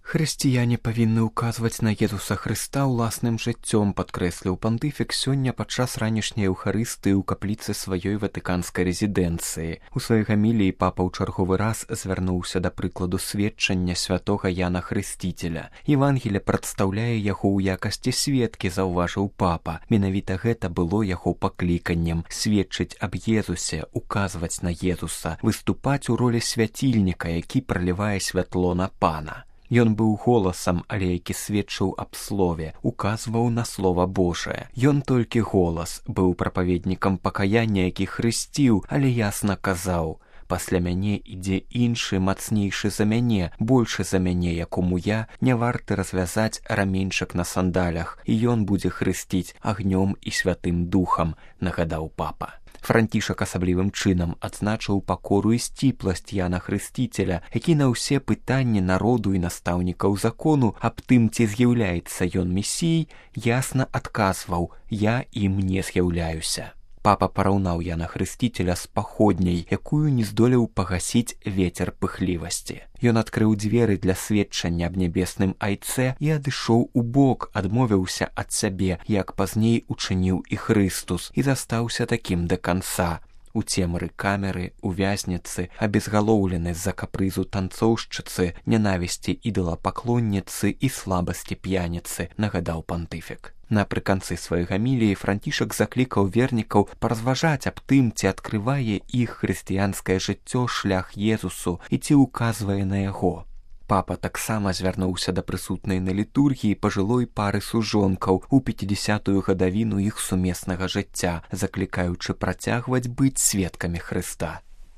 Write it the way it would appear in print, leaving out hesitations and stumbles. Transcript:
Хрысціяне павінны ўказваць на Езуса Хрыста ўласным жыццём, падкрэсліў пантыфік сёння падчас ранішняй эўхарыстыі ў капліцы сваёй ватыканскай рэзідэнцыі. У сваёй гаміліі папа ў чарговы раз звярнуўся да прыкладу сведчання святога Яна Хрысціцеля. Евангелие прадстаўляе яго ў якасці сведкі, заўважыў папа. Менавіта гэта было яго пакліканнем – сведчыць аб Езусе, указваць на Езуса, выступаць у ролі свяцільніка, які пралівае святло на Пана. Ён быў голасам, але які сведчыў аб слове, указваў на слова Божае. Ён толькі голас, быў прапаведнікам пакаяння, які хрысціў, але ясна казаў: «Пасля мяне ідзе іншы, мацнейшы за мяне, большы за мяне, якому я не варты развязаць раменьчык на сандалях, і ён будзе хрысціць агнём і святым духам», – нагадаў папа. Францішак асаблівым чынам адзначыў пакору і сціпласць Яна Хрысціцеля, які на ўсе пытанні народу і настаўнікаў закону аб тым, ці з'яўляецца ён месіяй, ясна адказваў: «Я ім не з'яўляюся». Папа параўнаў Яна Хрысціцеля з паходняй, якую не здолеў пагасіць вецер пыхлівасці. Ён адкрыў дзверы для сведчання аб нябесным айцэ і адышоў у бок, адмовіўся ад сябе, як пазней учыніў і Хрыстус, і застаўся такім да канца. У цемры камеры, у вязніцы, абезгалоўлены з-за капрызу танцоўшчыцы, нянавісці ідалапаклонніцы і слабасці п'яніцы, нагадаў пантыфік. Напрыканцы сваёй гаміліі Францішак заклікаў вернікаў паразважаць аб тым, ці адкрывае іх хрысціянскае жыццё шлях Езусу і ці ўказвае на яго. Папа таксама звярнуўся да прысутнай на літургіі пажылой пары сужонкаў у 50-ю гадавіну іх сумеснага жыцця, заклікаючы працягваць быць сведкамі Хрыста.